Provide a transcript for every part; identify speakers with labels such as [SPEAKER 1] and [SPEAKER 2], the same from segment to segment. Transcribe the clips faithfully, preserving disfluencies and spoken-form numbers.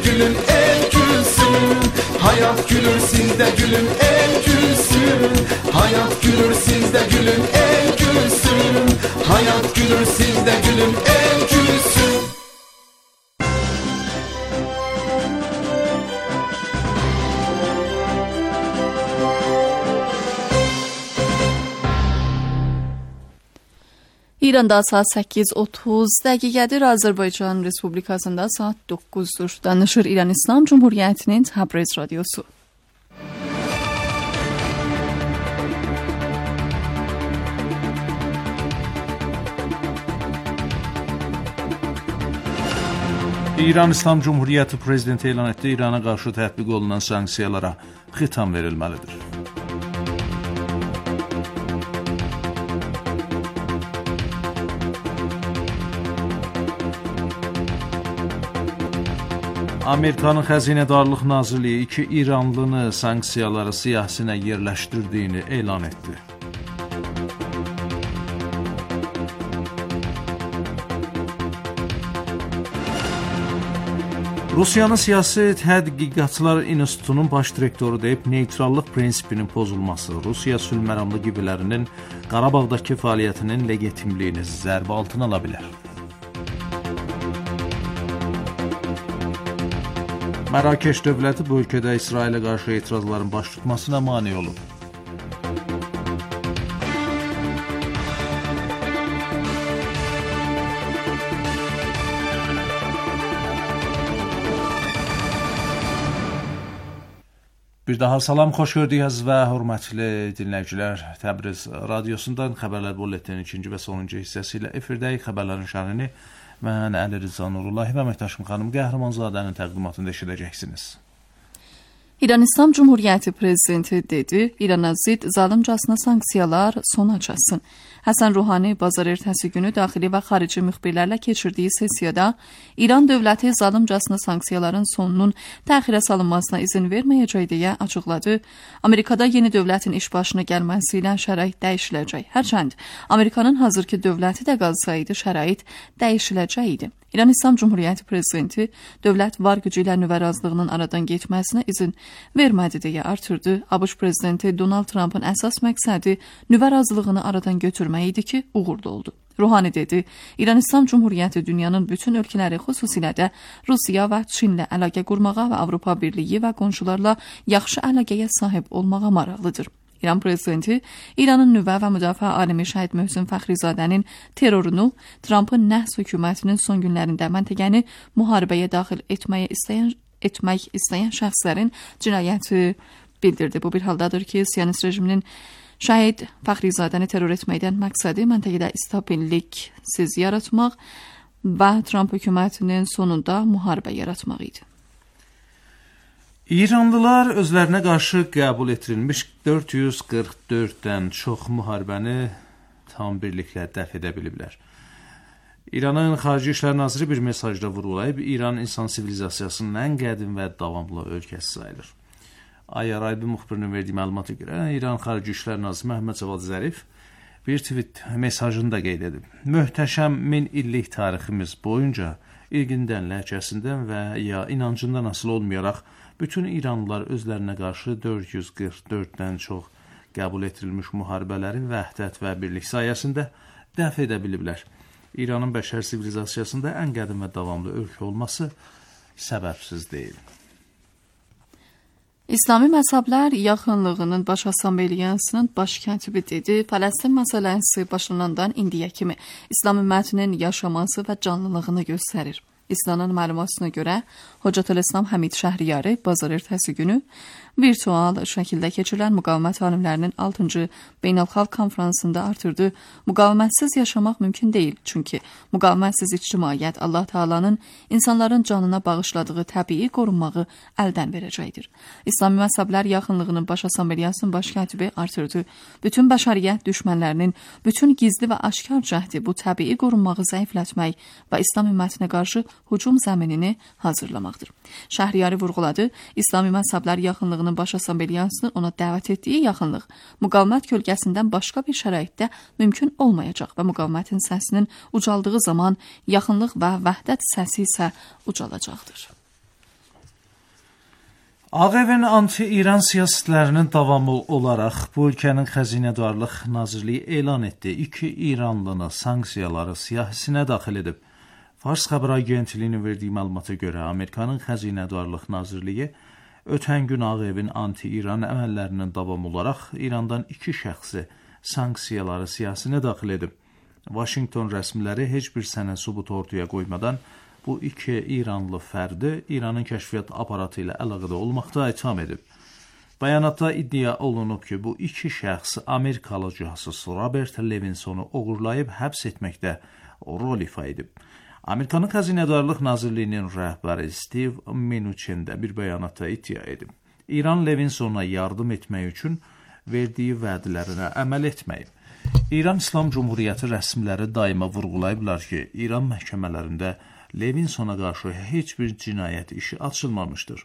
[SPEAKER 1] gülün el gülsün. Hayat gülür sizde gülün el gülsün. Hayat gülür sizde gülün el gülsün. Hayat gülür sizde gülün el gülsün.
[SPEAKER 2] İranda saat səkkiz otuz dəqiqədir. Azərbaycan Respublikasında saat doqquzdur. Danışır İran İslam Cumhuriyyətinin Təbriz radiosu.
[SPEAKER 3] İran İslam Cumhuriyyəti prezidenti elan etdi, İrana qarşı tətbiq olunan sanksiyalara xitam verilməlidir. Amerikanın Xəzinədarlıq Nazirliyi iki İranlını sanksiyaları siyahısına yerləşdirdiyini elan etdi. Rusiyanın Siyasi Tədqiqatlar İnstitutunun baş direktoru deyib, neytrallıq prinsipinin pozulması Rusiya sülhməramlı qüvvələrinin Qarabağdakı fəaliyyətinin legitimliyini zərbə altına ala bilər. Mərakeş dövləti bu ölkədə İsrailə qarşı etirazların baş tutmasına mane olub. Bir daha salam, xoş gördük və hörmətli dinləyicilər. Təbriz radiosundan xəbərlər bulletinin ikinci və sonuncu hissəsi ilə efirdəyik. Xəbərlərin şərhini mən Əli Rıza Nurullahi və əməkdaşım xanım Qəhrəmanzadənin təqdimatında eşidəcəksiniz.
[SPEAKER 2] İran İslam Cumhuriyyəti prezidenti dedi, İrana zid zalimcasına sanksiyalar sona çatsın. Həsən Ruhani bazar ertəsi günü daxili və xarici müxbirlərlə keçirdiyi sessiyada İran dövləti zalimcasına sanksiyaların sonunun təxirə salınmasına izin verməyəcək deyə açıqladı. Amerikada yeni dövlətin iş başına gəlməsi ilə şərait dəyişiləcək. Hərçənd Amerikanın hazırki dövləti də qalsaydı şərait dəyişiləcəkdi. İran İslam Cumhuriyyəti prezidenti dövlət var gücü ilə nüvə razılığının aradan getməsinə izin vermədi deyə artırdı. ABŞ prezidenti Donald Trump'ın əsas məqsədi nüvə razılığını aradan götürmək idi ki, uğurlu oldu. Ruhani dedi, İran İslam Cumhuriyyəti dünyanın bütün ölkələri, xüsusilə də Rusiya və Çinlə əlaqə qurmağa və Avropa Birliyi və qonşularla yaxşı əlaqəyə sahib olmağa maraqlıdır. İran prezidenti İranın nüvə və müdafiə alimi Şəhid Möhsen Fəxrizadənin terrorunu, Trump'ın nəhs hökumətinin son günlərində məntəqəni müharibəyə daxil etməyə istəyən, etmək istəyən şəxslərin cinayəti bildirdi. Bu bir haldadır ki, Siyonist rejiminin Şəhid Fəxrizadəni terror etməkdən məqsədi məntəqədə stabillik siz yaratmaq və Trump hökumətinin sonunda müharibə yaratmaq idi.
[SPEAKER 3] İranlılar özlərinə qarşı qəbul etdirilmiş dörd yüz qırx dörddən çox müharibəni tam birliklə dəf edə biliblər. İranın Xarici İşlər Naziri bir mesajda vurğulayıb, İran insan sivilizasiyasının ən qədim və davamlı ölkəsi sayılır. Ay Araybi müxbirinin verdiyi məlumata görə İran Xarici İşlər Naziri Məhəmməd Cavad Zərif bir tweet mesajını da qeyd edib. Möhtəşəm min illik tariximiz boyunca irqindən, ləhcəsindən və ya inancından asılı olmayaraq bütün İranlılar özlərinə qarşı dörd yüz qırx dörddən çox qəbul etdirilmiş müharibələrin vəhdət və birlik sayəsində dəf edə biliblər. İranın bəşər sivilizasiyasında ən qədim və davamlı ölkə olması səbəbsiz deyil.
[SPEAKER 2] İslami məzhəblər yaxınlığının baş assambleyasının baş katibi dedi, Fələstin məsələsi başlanandan indiyə kimi İslam ümmətinin yaşaması və canlılığını göstərir. İslamın məlumatına görə Hocatül-İslam Həmid Şəhriyari bazar ertəsi günü virtual şəkildə keçirilən müqavimət alimlərinin altıncı beynəlxalq konfransında artırdı. Müqavimətsiz yaşamaq mümkün deyil, çünki müqavimətsiz ictimaiyyət Allah Taala'nın insanların canına bağışladığı təbii qorunmağı əldən verəcəkdir. İslami məzhəblər yaxınlığının baş assambleyasının baş katibi artırdı. Bütün bəşəriyyət düşmənlərinin bütün gizli və aşkar cəhdi bu təbii qorunmağı zəiflətmək və İslam ümmətinə qarşı hücum zəminini hazırlamaqdır. Şəhriyari vurğuladı, İslami məzhəblər yaxınlığının baş assambleyasının ona dəvət etdiyi yaxınlıq müqavimət kölgəsindən başqa bir şəraitdə mümkün olmayacaq və müqavimətin səsinin ucaldığı zaman yaxınlıq və vəhdət səsi isə ucalacaqdır.
[SPEAKER 3] Ağ Evin anti-İran siyasətlərinin davamı olaraq bu ölkənin Xəzinədarlıq Nazirliyi elan etdi. İki İranlını sanksiyaları siyahısına daxil edib. Fars xəbər agentliyinin verdiyi məlumata görə Amerikanın Xəzinədarlıq Nazirliyi ötən gün Ağ Evin anti-İran əməllərinin davamı olaraq İrandan iki şəxsi sanksiyaları siyahısına daxil edib. Washington rəsmiləri heç bir sənəd sübut ortaya qoymadan bu iki İranlı fərdi İranın kəşfiyyat aparatı ilə əlaqədə olmaqda itham edib. Bəyanatda iddia olunub ki, bu iki şəxs Amerikalı casus Robert Levinsonu oğurlayıb həbs etməkdə rol ifa edib. Amerikanın Xəzinədarlıq Nazirliyinin rəhbəri Steve Mnuchin də bir bəyanatda iddia edib. İran Levinsona yardım etmək üçün verdiyi vədlərinə əməl etməyib. İran İslam Cumhuriyyəti rəsmiləri daima vurğulayıblar ki, İran məhkəmələrində Levinsona qarşı heç bir cinayət işi açılmamışdır.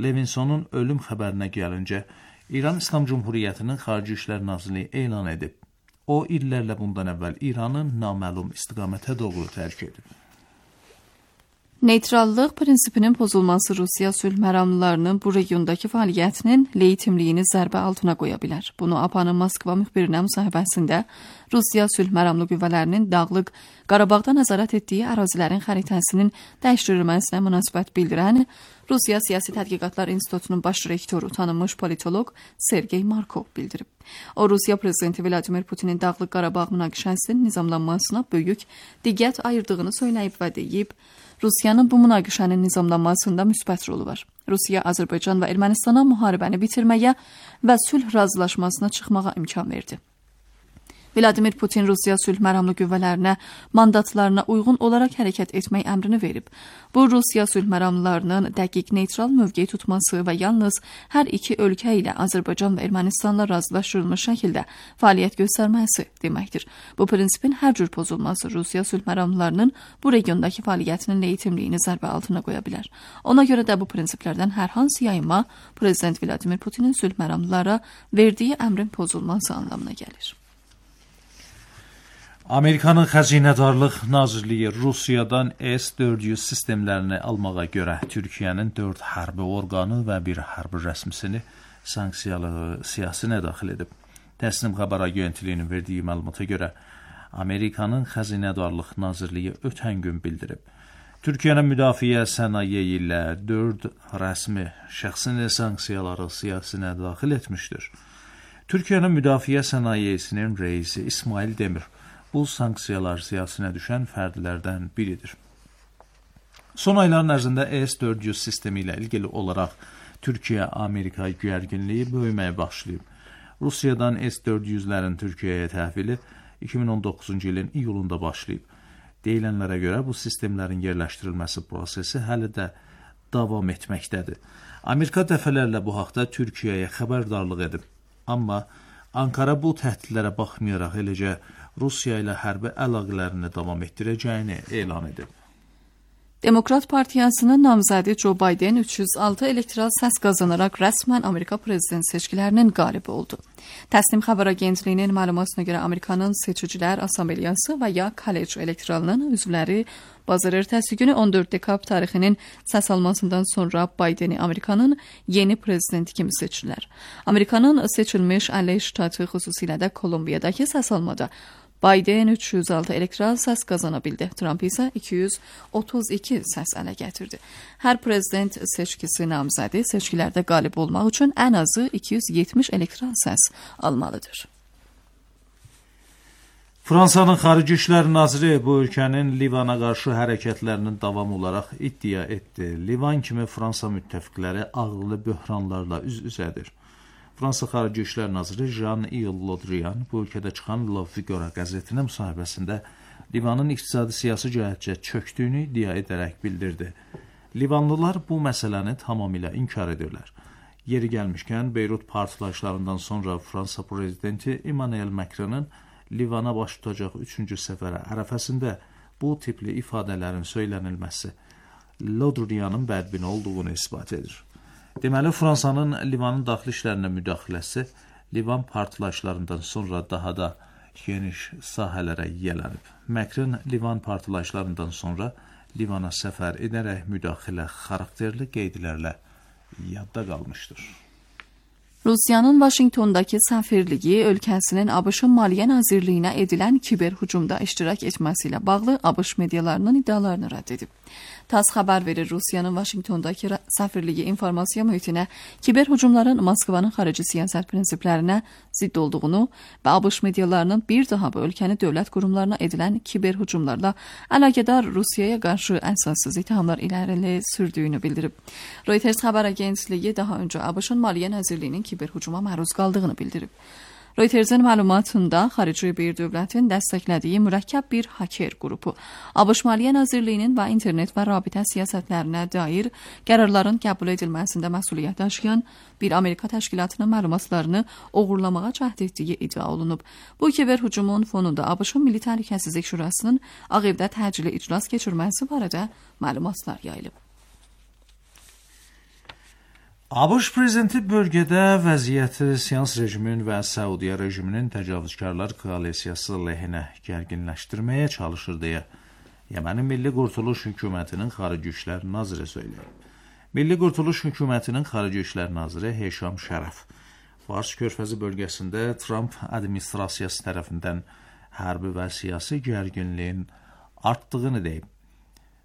[SPEAKER 3] Levinsonun ölüm xəbərinə gəlincə, İran İslam Cumhuriyyətinin Xarici İşlər Nazirliyi elan edib. O, illərlə bundan əvvəl İranı naməlum istiqamətə doğru tərk edib.
[SPEAKER 2] Neytrallıq prinsipinin pozulması Rusiya sülh məramlılarının bu regiondakı fəaliyyətinin legitimliyini zərbə altına qoya bilər. Bunu A P A-nın Moskva müxbirinə müsahibəsində Rusiya sülh məramlı qüvvələrinin Dağlıq Qarabağda nəzarət etdiyi ərazilərin xəritəsinin dəyişdirilməsinə münasibət bildirən Rusiya Siyasi Tədqiqatlar İnstitutunun baş rektoru tanınmış politoloq Sergey Markov bildirib. O, Rusiya prezidenti Vladimir Putinin Dağlıq Qarabağ münaqişəsinin nizamlanmasına böyük diqqət ayırdığını söyləyib və deyib, Rusiyanın bu münaqişənin nizamlanmasında müsbət rolu var. Rusiya, Azərbaycan və Ermənistana müharibəni bitirməyə və sülh razılaşmasına çıxmağa imkan verdi. Vladimir Putin Rusiya sülh məramlı qüvvələrinə mandatlarına uyğun olaraq hərəkət etmək əmrini verib. Bu, Rusiya sülh məramlılarının dəqiq neytral mövqe tutması və yalnız hər iki ölkə ilə Azərbaycan və Ermənistanla razılaşdırılmış şəkildə fəaliyyət göstərməsi deməkdir. Bu prinsipin hər cür pozulması Rusiya sülh məramlılarının bu regiondakı fəaliyyətinin legitimliyini zərbə altına qoya bilər. Ona görə də bu prinsiplərdən hər hansı yayınma Prezident Vladimir Putinin sülh məramlılara verdiyi əmrin pozulması anlamına gəlir.
[SPEAKER 3] Amerikanın Xəzinədarlıq Nazirliyi Rusiyadan S dörd yüz sistemlərini almağa görə Türkiyənin dörd hərbi orqanı və bir hərbi rəsmisini sanksiyalı siyahısına daxil edib. Təsnim xəbər agentliyinin verdiyi məlumata görə Amerikanın Xəzinədarlıq Nazirliyi ötən gün bildirib. Türkiyənin müdafiə sənaye ilə dörd rəsmi şəxsini sanksiyaları siyahısına daxil etmişdir. Türkiyənin müdafiə sənayesinin reisi İsmail Demir bu sanksiyalar siyahısına düşən fərdlərdən biridir. Son ayların ərzində S dörd yüz sistemi ilə ilgili olaraq Türkiyə-Amerika gərginliyi böyüməyə başlayıb. Rusiyadan S dörd yüzlərin Türkiyəyə təhvili iki min on doqquzuncu ilin iyulunda başlayıb. Deyilənlərə görə bu sistemlərin yerləşdirilməsi prosesi hələ də davam etməkdədir. Amerika dəfələrlə bu haqda Türkiyəyə xəbərdarlıq edib. Amma Ankara bu təhdidlərə baxmayaraq eləcə Rusiya ilə hərbi əlaqələrini davam etdirəcəyini elan edib.
[SPEAKER 2] Demokrat Partiyasının namizədi Joe Biden üç yüz altı elektoral səs qazanaraq rəsmən Amerika prezident seçkilərinin qalibi oldu. Təsnim xəbər agentliyinin məlumatına görə Amerikanın Seçicilər Assambleyası və ya College elektoralının üzvləri bazar ertəsi günü on dörd dekabr tarixinin səs almasından sonra Bideni Amerikanın yeni prezidenti kimi seçdilər. Amerikanın seçilmiş əlli ştatı, xüsusilə də Kolumbiyadakı səs almada Biden üç yüz altı elektoral səs qazana bildi. Trump isə iki yüz otuz iki səs ələ gətirdi. Hər prezident seçkisi namizədi seçkilərdə qalib olmaq üçün ən azı iki yüz yetmiş elektoral səs almalıdır.
[SPEAKER 3] Fransanın Xarici İşlər Naziri bu ölkənin Livana qarşı hərəkətlərinin davamı olaraq iddia etdi. Livan kimi Fransa müttəfiqləri ağırlı böhranlarla üz-üzədir. Fransa Xarici İşlər Naziri Jean-Yves Le Drian bu ölkədə çıxan La Figaro qəzetinə müsahibəsində Livanın iqtisadi siyasi cəhətcə çökdüyünü iddia edərək bildirdi. Livanlılar bu məsələni tamamilə inkar edirlər. Yeri gəlmişkən, Beyrut partlayışlarından sonra Fransa prezidenti Emmanuel Macron'un Livana baş tutacaq üçüncü səfərə ərəfəsində bu tipli ifadələrin söylənilməsi Le Drian'ın bədbin olduğunu isbat edir. Deməli, Fransanın Livanın daxili işlərinə müdaxiləsi Livan partlayışlarından sonra daha da geniş sahələrə yiyələnib. Macron Livan partlayışlarından sonra Livana səfər edərək müdaxilə xarakterli qeydlərlə yadda qalmışdır.
[SPEAKER 2] Rusiyanın Vaşinqtondakı səfirliyi ölkəsinin ABŞ-ın Maliyyə Nazirliyinə edilən kiber hücumda iştirak etməsi ilə bağlı ABŞ medialarının iddialarını rədd edib. TASS xəbər verir, Rusiyanın Vaşinqtondakı səfirliyi informasiya mühitinə kiber hücumların Moskvanın xarici siyasət prinsiplərinə zidd olduğunu və ABŞ medialarının bir daha bu ölkəni dövlət qurumlarına edilən kiber hücumlarla əlaqədar Rusiyaya qarşı əsassız ittihamlar irəli sürdüyünü bildirib. Reuters xəbər agentliyi daha öncə ABŞ-ın Maliyyə Nazirliyinin kiber hücuma məruz qaldığını bildirib. Reuters'in məlumatında xarici bir dövlətin dəstəklədiyi mürəkkəb bir haker qrupu ABŞ Maliyyə Nazirliyinin və internet və rabitə siyasətlərinə dair qərarların qəbul edilməsində məsuliyyət daşıyan bir Amerika təşkilatının məlumatlarını oğurlamağa cəhd etdiyi iddia olunub. Bu kiber hücumun fonunda ABŞ-ın Milli Təhlükəsizlik Şurasının Ağ Evdə təcili iclas keçirməsi barədə məlumatlar yayılıb.
[SPEAKER 3] ABŞ prezidenti bölgədə vəziyyəti Siyans rejimin və Səudiyyə rejiminin təcavüzkarlar koalisiyası lehinə gərginləşdirməyə çalışır deyə Yemənin Milli Qurtuluş Hökumətinin Xarici İşlər Naziri söyləyib. Milli Qurtuluş Hökumətinin Xarici İşlər Naziri Heşam Şərəf Fars körfəzi bölgəsində Trump administrasiyası tərəfindən hərbi və siyasi gərginliyin artdığını deyib.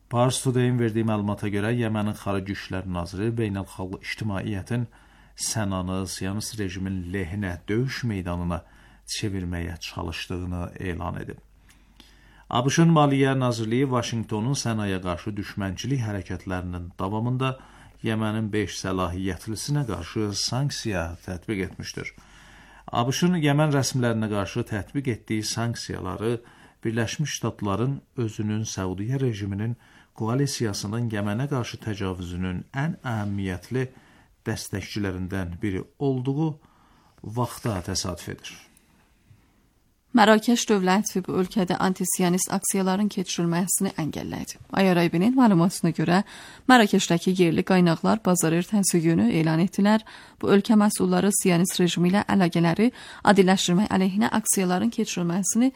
[SPEAKER 3] Pars Today-in verdiyi məlumata görə Yemənin Xarici İşlər Naziri beynəlxalq ictimaiyyətin Sənanı Siyonist rejimin lehinə döyüş meydanına çevirməyə çalışdığını elan edib. ABŞ-ın Maliyyə Nazirliyi Vaşinqtonun Sənaya qarşı düşmənçilik hərəkətlərinin davamında Yemənin beş səlahiyyətlisinə qarşı sanksiya tətbiq etmişdir. ABŞ-ın Yemen rəsmilərinə qarşı tətbiq etdiyi sanksiyaları Birləşmiş Ştatların özünün Səudiyyə rejiminin koalisiyasının Yemenə qarşı təcavüzünün ən əhəmiyyətli dəstəkçilərindən biri olduğu vaxta təsadüf edir.
[SPEAKER 2] Mərakeş dövləti bu ölkədə antisiyonist aksiyaların keçirilməsini əngəllədi. I R I B-nin məlumatına görə Mərakeşdəki yerli qaynaqlar bazar ertəsi günü elan etdilər. Bu ölkə məsulları siyonist rejimi ilə əlaqələri adilləşdirmək əleyhinə aksiyaların keçirilməsini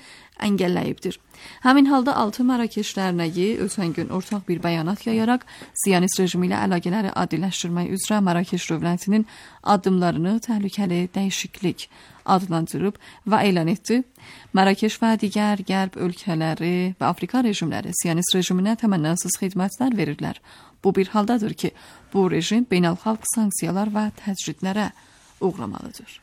[SPEAKER 2] əngəlləyibdir. Həmin halda altı Mərakeş dərnəyi ötən gün ortaq bir bəyanat yayaraq siyonist rejimi ilə əlaqələri adilləşdirmək üzrə Mərakeş dövlətinin addımlarını təhlükəli dəyişiklik adlandırıb və elan etdi. Mərakeş və digər qərb ölkələri və Afrika rejimləri siyonist rejiminə təmənnasız xidmətlər verirlər. Bu bir haldadır ki, bu rejim beynəlxalq sanksiyalar və təcridlərə uğramalıdır.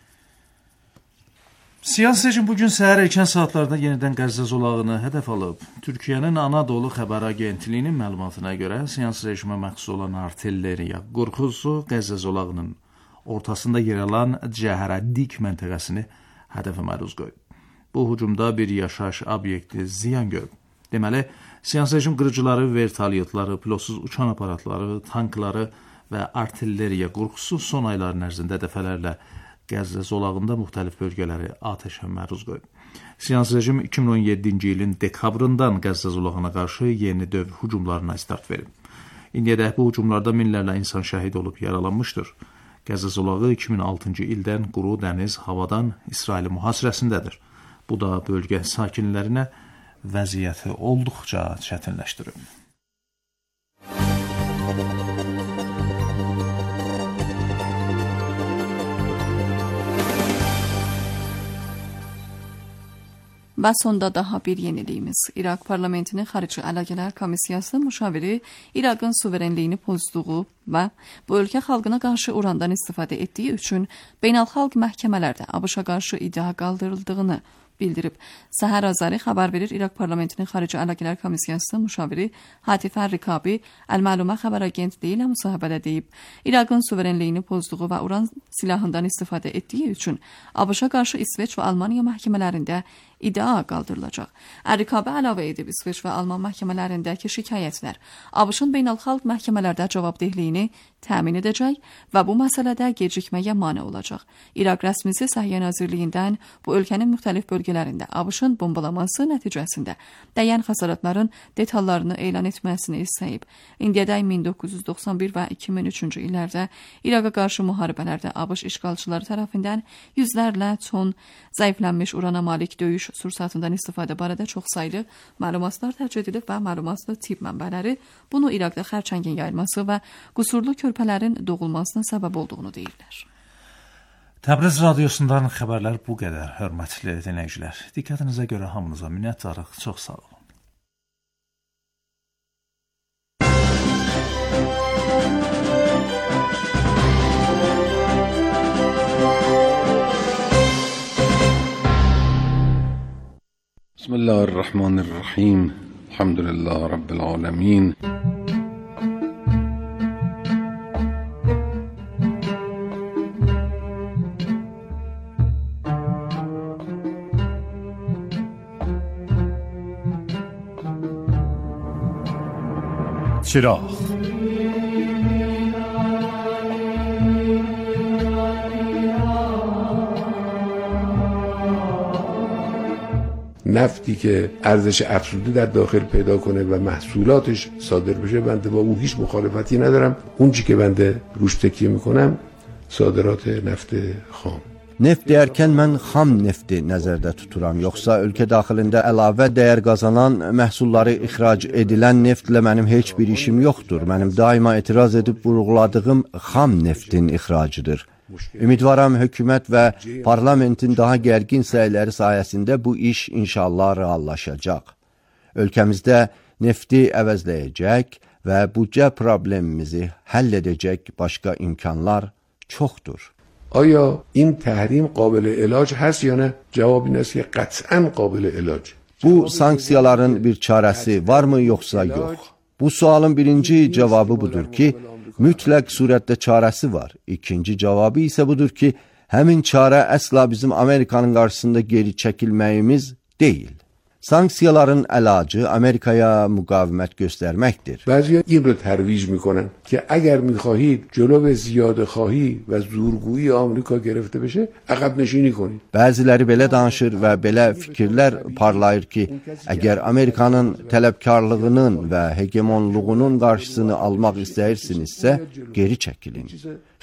[SPEAKER 3] Siyasi rejim bugün səhər erkən saatlarda yenidən Qəzza zolağını hədəf alıb. Türkiyənin Anadolu xəbər agentliyinin məlumatına görə siyasi rejimə məxsus olan artilleriya qorxusu Qəzza zolağının ortasında yer alan Cəhərədik məntəqəsini hədəfə məruz qoyub. Bu hücumda bir yaşayış obyekti ziyan görüb. Deməli, siyasi rejim qırıcıları, vertolyotları, pilotsuz uçan aparatları, tankları və artilleriya qorxusu son ayların ərzində dəfələrlə Qəzza zolağında müxtəlif bölgələri atəşə məruz qoyub. Siyasi rejim iki min on yeddinci ilin dekabrından Qəzza zolağına qarşı yeni döv hücumlarına start verib. İndiyədək bu hücumlarda minlərlə insan şəhid olub yaralanmışdır. Qəzza zolağı iki min altıncı ildən quru, dəniz, havadan İsraili mühasirəsindədir. Bu da bölgə sakinlərinə vəziyyəti olduqca çətinləşdirib.
[SPEAKER 2] Və sonda daha bir yeniliyimiz. İraq parlamentinin xarici əlaqələr komissiyası müşaviri İraqın suverenliyini pozduğu və bu ölkə xalqına qarşı urandan istifadə etdiyi üçün beynəlxalq məhkəmələrdə ABŞ-a qarşı iddia qaldırıldığını bildirib. Səhər Azari xəbər verir, İraq parlamentinin xarici əlaqələr komissiyası müşaviri Hatifə Rikabi Əl-Məlumə xəbər agentliyi ilə müsahibədə deyib. İraqın suverenliyini pozduğu və uran silahından istifadə etdiyi üçün ABŞ-a qarşı İsveç və Almaniya məhkəmələrində iddia qaldırılacaq. Rikabi əlavə edib, İsveç və Alman məhkəmələrindəki şikayətlər ABŞ-ın beynəlxalq məhkəmələrdə cavabdehliyini təmin edəcək və bu məsələdə gecikməyə mane olacaq. İraq rəsmisi Səhiyyə Nazirliyindən bu ölkənin müxtəlif bölgələrində ABŞ-ın bombalaması nəticəsində dəyən xəsarətlərin detallarını elan etməsini istəyib. İndiyədək min doqquz yüz doxsan bir və iki min üçüncü illərdə İraqa qarşı müharibələrdə ABŞ işğalçıları tərəfindən yüzlərlə ton zəiflənmiş urana malik döyüş iş sursatından istifadə barədə çoxsaylı məlumatlar dərc edilib və məlumatlı tibb mənbələri bunu İraqda xərçəngin yayılması və qüsurlu körpələrin doğulmasına səbəb olduğunu deyirlər.
[SPEAKER 3] Təbriz radiosundan xəbərlər bu qədər, hörmətli dinləyicilər. Diqqətinizə görə hamınıza minnətdarıq. Çox sağ olun.
[SPEAKER 4] بسم الله الرحمن الرحیم الحمد لله رب العالمین
[SPEAKER 5] چراغ
[SPEAKER 6] نفتی که ارزش افزوده در داخل پیدا کنه و محصولاتش صادر بشه، بنده با او هیچ مخالفتی ندارم. اون چی که بنده روش تکیه میکنم صادرات نفت خام.
[SPEAKER 5] Neft deyərkən mən xam nefti nəzərdə tuturam, yoxsa ölkə daxilində əlavə dəyər qazanan məhsulları ixrac edilən neftlə mənim heç bir işim yoxdur. Mənim daima etiraz edib vurğuladığım xam neftin ixracıdır. Ümidvaram hökumət və parlamentin daha gərgin səyləri sayəsində bu iş inşallah reallaşacaq. Ölkəmizdə nefti əvəzləyəcək və büdcə problemimizi həll edəcək başqa imkanlar çoxdur.
[SPEAKER 6] آیا این تحریم قابل علاج هست یا نه؟ جواب این است که قطعاً قابل علاج.
[SPEAKER 5] Bu sanksiyaların bir çarəsi varmı yoxsa yox? Bu sualın birinci cavabı budur ki, mütləq surətdə çarəsi var. İkinci cavabı isə budur ki, həmin çarə əsla bizim Amerikanın qarşısında geri çəkilməyimiz deyil. Sanksiyaların əlacı Amerikaya müqavimət göstərməkdir.
[SPEAKER 6] بعضی این رو ترویج میکنن که اگر میخواهید جلو زیاده خواهی و زورگویی آمریکا گرفته بشه عقب نشینی کنید.
[SPEAKER 5] Bəziləri belə danışır və belə fikirlər parlayır ki, əgər Amerikanın tələbkarlığının və hegemonluğunun qarşısını almaq istəyirsinizsə, geri çəkilin.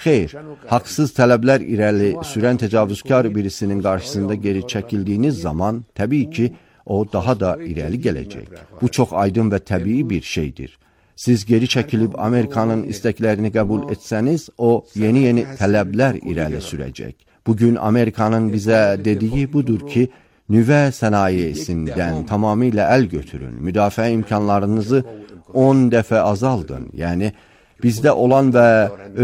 [SPEAKER 5] Xeyr, haqsız tələblər irəli sürən təcavüzkar birisinin qarşısında geri çəkildiyiniz zaman, təbii ki, o daha da irəli gələcək. Bu çox aydın və təbii bir şeydir. Siz geri çəkilib Amerikanın istəklərini qəbul etsəniz, o yeni-yeni tələblər irəli sürəcək. Bugün Amerikanın bizə dediyi budur ki, nüvə sənayesindən tamamilə əl götürün, müdafiə imkanlarınızı on dəfə azaldın. Yəni, bizdə olan və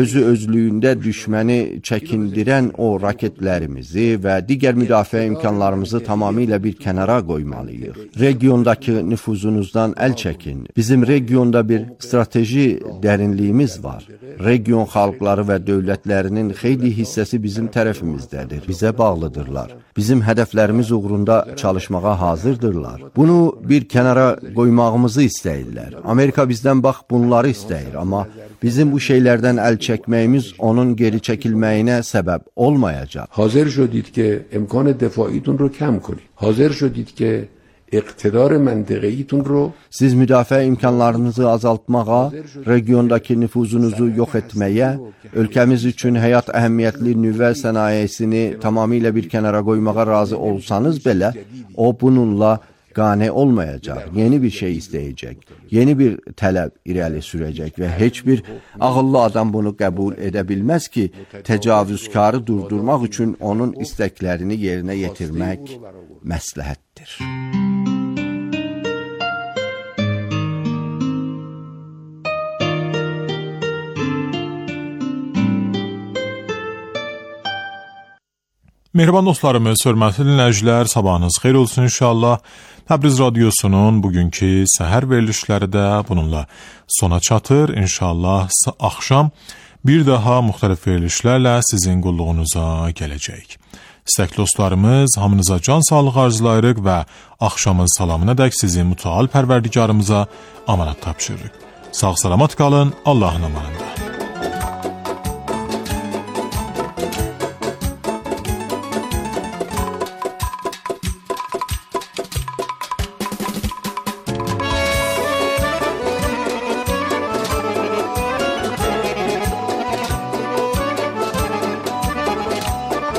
[SPEAKER 5] özü özlüyündə düşməni çəkindirən o raketlərimizi və digər müdafiə imkanlarımızı tamamilə bir kənara qoymalıyıq. Regiondakı nüfuzunuzdan əl çəkin. Bizim regionda bir strateji dərinliyimiz var. Region xalqları və dövlətlərinin xeyli hissəsi bizim tərəfimizdədir, bizə bağlıdırlar. Bizim hədəflərimiz uğrunda çalışmağa hazırdırlar. Bunu bir kənara qoymağımızı istəyirlər. Amerika bizdən bax bunları istəyir, amma bizim bu şeylərdən əl çəkməyimiz onun geri çəkilməyinə səbəb olmayacaq.
[SPEAKER 6] حاضر شدید که امکان دفاعیتون رو کم کنید. حاضر شدید که iqtidar məntəqəyiyyətun ro
[SPEAKER 5] Siz müdafiə imkanlarınızı azaltmağa, regiondakı nüfuzunuzu yox etməyə, ölkəmiz üçün həyat əhəmiyyətli nüvə sənayesini tamamilə bir kənara qoymağa razı olsanız belə, o bununla qane olmayacaq, yeni bir şey istəyəcək, yeni bir tələb irəli sürəcək və heç bir ağıllı adam bunu qəbul edə bilməz ki, təcavüzkarı durdurmaq üçün onun istəklərini yerinə yetirmək məsləhətdir.
[SPEAKER 7] Mehriban dostlarımız, hörmətli dinləyicilər, sabahınız xeyir olsun inşallah. Təbriz radiosunun bugünkü səhər verilişləri də bununla sona çatır. İnşallah axşam bir daha müxtəlif verilişlərlə sizin qulluğunuza gələcək. İstəkli dostlarımız, hamınıza can sağlıq arzulayırıq və axşamın salamına dək sizin mütəal pərverdigarımıza amanat tapşırırıq. Sağ salamat qalın, Allahın amanında.